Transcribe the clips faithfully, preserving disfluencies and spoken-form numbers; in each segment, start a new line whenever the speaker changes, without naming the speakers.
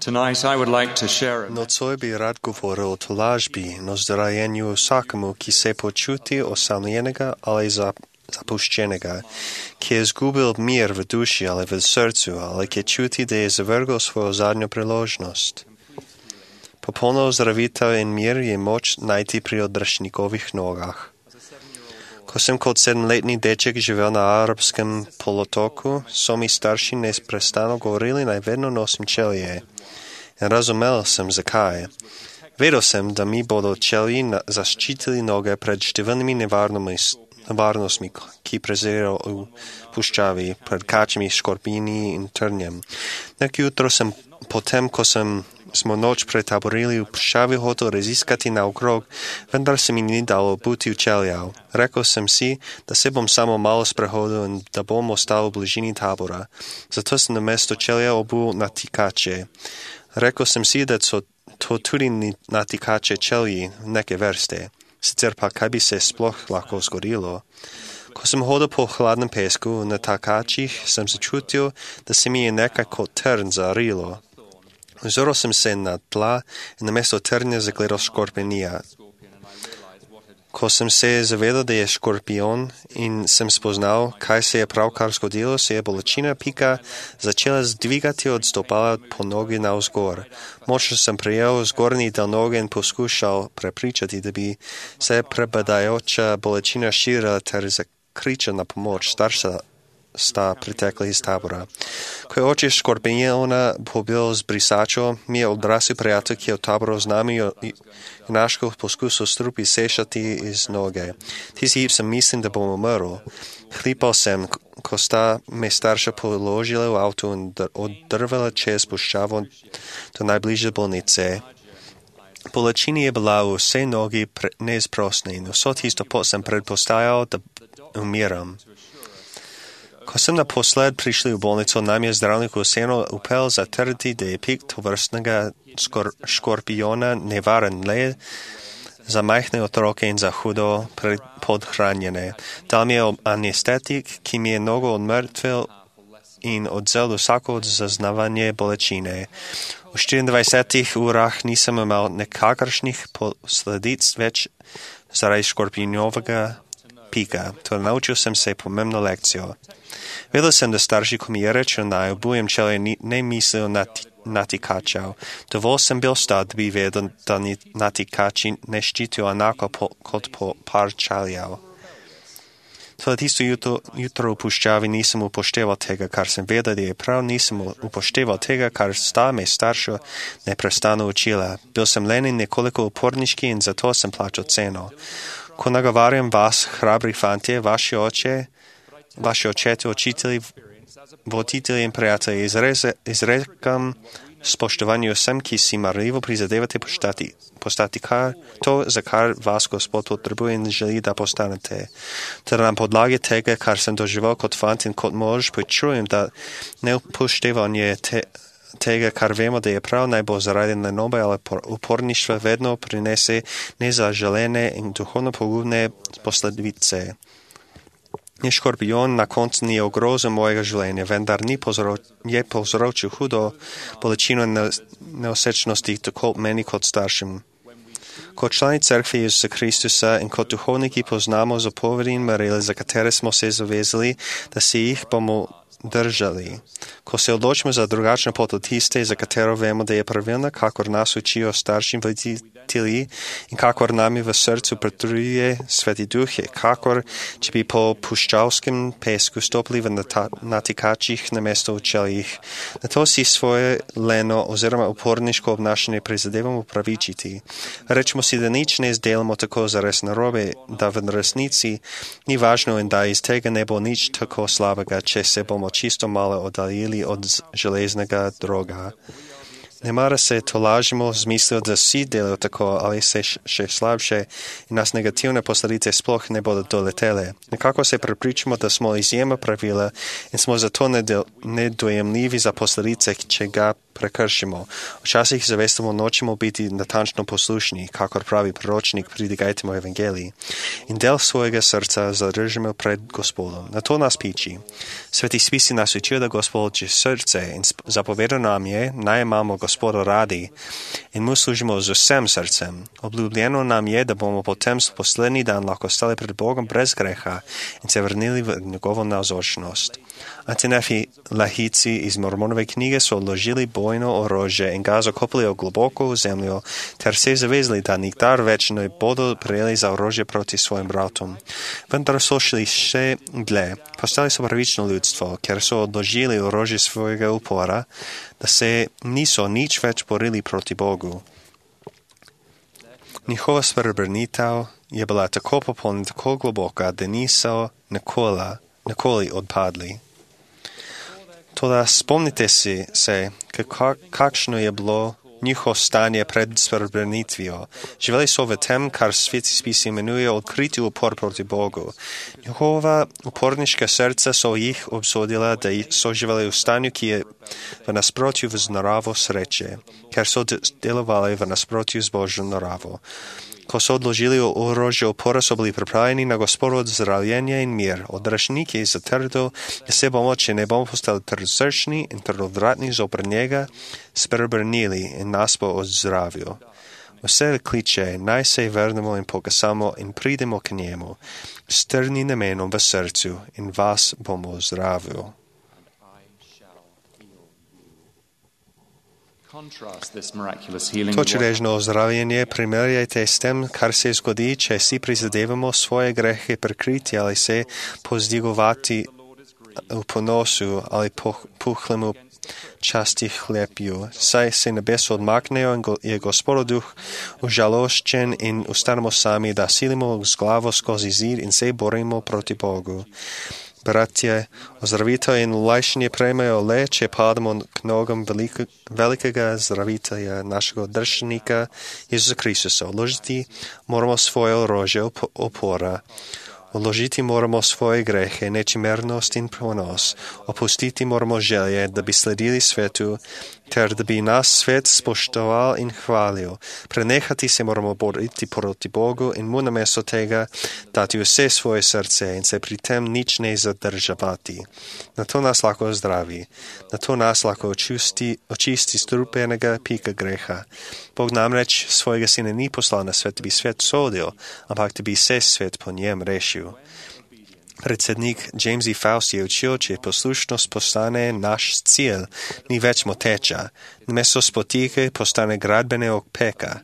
Tonight I would like to share
Nocoj bi rad govoril o tolažbi, no zdarajenju vsakemu, ki se počuti osamljenega ali zapuščenega, ki je izgubil mir v duši ali v srcu, ali ki čuti, da je zavrgel svojo zadnjo priložnost. Popolno ozdravitev in mir je moč najti pri odrešnikovih nogah. Ko sem kot sedemletni deček živel na arabskem polotoku, so mi starši neprestano govorili, naj vedno nosim čelije. In razumel sem, zakaj. Vedel sem, da mi bodo čelji zaščitili noge pred številnimi nevarnostmi, ki prezirajo v puščavi, pred kačmi, škorpini in trnjem. Nek jutro sem potem, ko sem smo noč pretaborili v puščavi, hotel raziskati naokrog, vendar se mi ni dalo obuti v čeljav. Rekel sem si, da se bom samo malo sprehodil in da bom ostal v bližini tabora. Zato sem namesto čelja obul natikače. Rekel sem si, da so to tudi natikače čelji neke vrste. Sicer pa kaj bi se sploh lahko zgodilo. Ko sem hodil po hladnem pesku na takačih, sem začutil, da se mi je nekaj kot trn zarilo. Ozrl sem se na tla in namesto trnja zagledal škorpionija. Ko sem se zavedal, da je škorpion in sem spoznal, kaj se je pravkar zgodilo, se je bolečina pika začela zdvigati od stopala po nogi navzgor. Močno sem prijel zgornji del noge in poskušal prepričati, da bi se prebadajoča bolečina širila ter zakričal na pomoč. Starša sta pritekli iz tabora. Ko je oče škorpiona pobil z brisačo, mi je odrasel prijatelj, ki je v taboru z nami junaško poskusil strupi sešati iz noge. Tisti hip sem mislim, da bom umrl. Hlipal sem, ko sta me starša položila v avto in oddrvala čez puščavo do najbližje bolnice. Bolečina je bila v vse nogi neizprosna in vso tisto pot sem predpostajal, da umiram. Ko sem naposled prišli v bolnico, nam je zdravnik vseeno upel zatrditi, da je pik tovrstnega skor, škorpiona nevaren le za majhne otroke in za hudo podhranjene. Dal mi je anestetik, ki mi je nogo odmrtvil in odzel vsako zaznavanje bolečine. V štiriindvajsetih urah nisem imel nekakršnih posledic več zaradi škorpionovega pika. To naučil sem se pomembno lekcijo. Vedel sem, da starši, ko mi je rečel, naj obujem čelje, ne mislijo natikačev. Dovolj sem bil star, da bi vedel, da natikači ne ščitijo enako po, kot po par čeljev. Toda tisto jutro, jutro v puščavi nisem upošteval tega, kar sem vedel, da je prav, nisem upošteval tega, kar sta me starša neprestano učila. Bil sem len in nekoliko uporniški in zato sem plačal ceno. Ko nagovarjam vas, hrabri fantje, vaši oče, vaši očete, učitelji, voditelji in prijatelji, izrekam spoštovanju vsem, ki si marljivo prizadevate postati, postati kar, to, za kar vas Gospod potrebuje in želi, da postanete. Ter na podlagi tega, kar sem doživel kot fant in kot mož, počujem, da neupoštevanje te, tega, kar vemo, da je prav, naj bo zaradi nenobe ali uporništva vedno prinese nezaželene in duhovno pogubne posledice. Ni škorpion na koncu ni ogrozil mojega življenja, vendar ni povzroč, je povzročil hudo bolečino neosečnosti tako meni kot staršim. Kot člani cerkve Jezusa Kristusa in kot duhovniki poznamo zapovedi in merila, za katere smo se zavezali, da se jih bomo držali. Ko se odločimo za drugačno pot od tiste, za katero vemo, da je pravilna, kakor nas učijo starši voditelji in kakor nami v srcu pretruje Sveti Duh, je kakor, če bi po puščavskem pesku stopili v natikačih namesto v čeljih. Na to si svoje leno oziroma uporniško obnašanje prizadevamo upravičiti. Rečemo si, da nič ne izdelamo tako zares narobe, da v resnici ni važno in da iz tega ne bo nič tako slabega, če se bomo čisto malo oddaljili od železnega droga. Nemara se tolažimo z mislijo, da vsi delajo tako ali se še slabše in nas negativne posledice sploh ne bodo doletele. Nekako se prepričamo, da smo izjema pravila in smo zato nedojemljivi za posledice, če ga prekršimo. Včasih zavestimo nočemo biti natančno poslušni, kakor pravi proročnik, pridigajtemo evangeliji. In del svojega srca zadržimo pred Gospodom. Na to nas piči. Sveti spisi nas učijo, da Gospod je srce in zapoveda nam je, naj imamo Gospoda radi in mu služimo z vsem srcem. Obljubljeno nam je, da bomo potem poslednji dan lahko stali pred Bogom brez greha in se vrnili v njegovo navzočnost. Antinefi lahici iz Mormonove knjige so odložili bojno orožje in ga zakopali globoko v zemljo, ter se zavezali, da nikdar več ne bodo prejeli za orožje proti svojim bratom. Vendar so šli še dlje. Postali so pravično ljudstvo, ker so odložili orožje svojega upora, da se niso nič več borili proti Bogu. Njihova spreobrnitev je bila tako popolna, tako globoka, da niso nikoli, nikoli odpadli. Toda spomnite si se, kakšno je bilo njihovo stanje pred spreobrnitvijo. Živeli so v tem, kar sveti spisi imenujejo odkriti upor proti Bogu. Njihova uporniška srca so jih obsodila, da so živeli v stanju, ki je v nasprotju z naravo sreče, ker so delovali v nasprotju z Božjo naravo. Ko so odložili orožje upora, so bili pripravljeni na Gospodovo ozdravljenje in mir. Odrašnik je zatrdil, da se bomo, če ne bomo postali trdsrčni in trdovratni zoper njega, spreobrnili in nas bo ozdravil. Vse kliče, naj se vrnemo in pokasamo in pridemo k njemu, s trdnim namenom v srcu in vas bomo ozdravil. To čudežno ozdravljenje primerjajte s tem, kar se zgodi, če si prizadevamo svoje grehe prekriti ali se pozdigovati v ponosu ali puhlemu časti hlepju. Saj se nebeso odmaknejo in je Gospodov duh užaloščen in ustanemo sami, da silimo z glavo skozi zid in se borimo proti Bogu. Bratje, ozdravitev in olajšanje prejmejo le, če padamo k nogam veliko, velikega zdravitelja, našega državnika Jezusa Kristusa. Odložiti moramo svoje orožje opora. Odložiti moramo svoje grehe, nečimernost in ponos. Opustiti moramo želje, da bi sledili svetu, ter da bi nas svet spoštoval in hvalil. Prenehati se moramo boriti proti Bogu in mu namesto tega dati vse svoje srce in se pri tem nič ne zadržavati. Na to nas lahko zdravi, na to nas lahko očisti, očisti strupenega pika greha. Bog namreč svojega sina ni poslal na svet, da bi svet sodil, ampak da bi se svet po njem rešil. Predsednik James E. Faust je učil, če poslušnost postane naš cilj, ni več moteča. Namesto spotike postane gradbene opeka.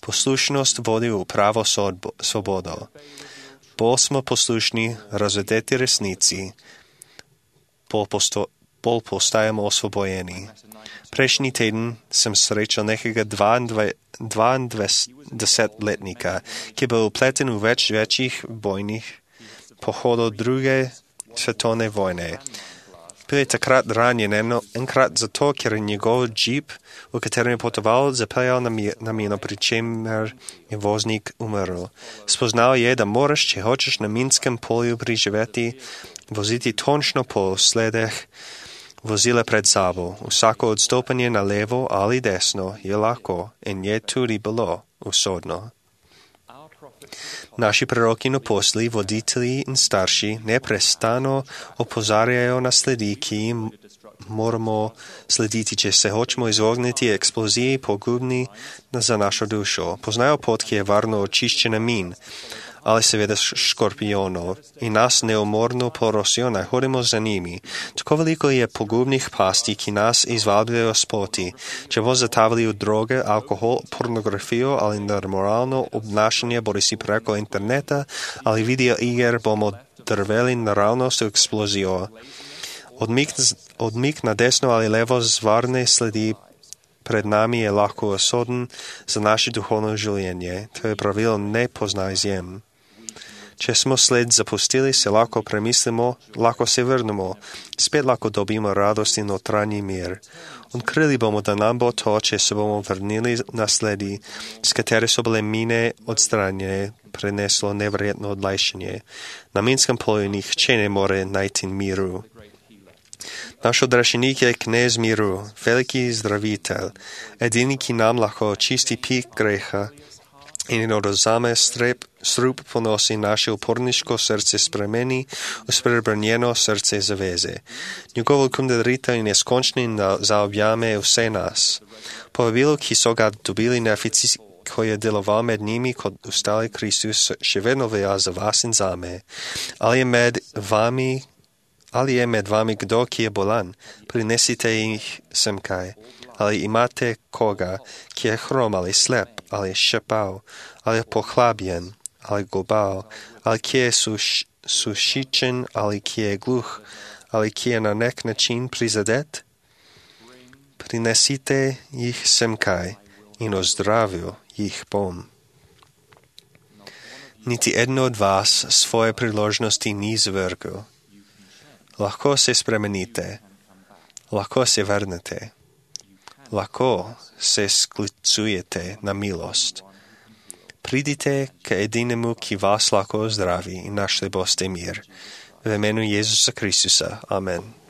Poslušnost vodi v pravo sodbo, svobodo. Bolj smo poslušni, razvedeti resnici, bolj, posto, bolj postajamo osvobojeni. Prejšnji teden sem srečal nekega dvaindvajsetletnika, ki je bil upleten v več večjih bojnih pohodov druge svetovne vojne. Bil je takrat ranjen enkrat zato, ker je njegov džip, v katerem je potoval, zapeljal na mino, pri čemer je voznik umrl. Spoznal je, da moraš, če hočeš na minskem polju preživeti, voziti točno po sledeh vozila pred sabo. Vsako odstopanje na levo ali desno je lahko in je tudi bilo usodno. Naši proroki in apostoli, voditelji in starši neprestano opozarjajo na sledi, ki jim moramo slediti, če se hočemo izogniti eksploziji pogubni za našo dušo. Poznajo pot, ki je varno očiščena min, ali seveda škorpionov, in nas neumorno porosijo, naj hodimo za njimi. Tako veliko je pogubnih pasti, ki nas izvabljajo s poti. Če bo zatavili v droge, alkohol, pornografijo ali nemoralno obnašanje, bodi si preko interneta ali video iger, bomo drveli naravnost v eksplozijo. Odmik, odmik na desno ali levo z varne sledi pred nami je lahko usoden za naše duhovno življenje. To je pravilo ne pozna izjem. Če smo sled zapustili, se lahko premislimo, lahko se vrnemo, spet lahko dobimo radost in notranji mir. Odkrili bomo, da nam bo to, če se bomo vrnili na sledi, s katere so bile mine odstranjene, preneslo neverjetno odlajšanje. Na minskem polju nihče ne more najti miru. Наш odrešenik je knez míru, veliký zdravitel, jediný, ki nám lahko čistí pík greha i nedozáme strep, strup ponosi naše uporniško srdce spremeni u sprebrnjeno srdce zaveze. Njegovo kumdelrita i neskončni zaobjame vse nas. Povabilo, ki so ga dobili neofici, ko je deloval med njimi kot ustali Kristus, še vedno velja za vas in zame. Ali je med vami Ali je med vami kdo, ki je bolan? Prinesite jih semkaj. Ali imate koga, ki je hrom ali slep, ali šepav, ali pohlabljen, ali global, ali ki je suš, sušičen, ali ki je gluh, ali ki je na nek način prizadet? Prinesite jih semkaj in ozdravil jih bom. Niti eno od vas svoje priložnosti ni zvrgel. Lahko se spremenite, lahko se vrnete, lahko se sklicujete na milost. Pridite k edinemu, ki vas lahko zdravi in našli boste mir. V imenu Jezusa Kristusa. Amen.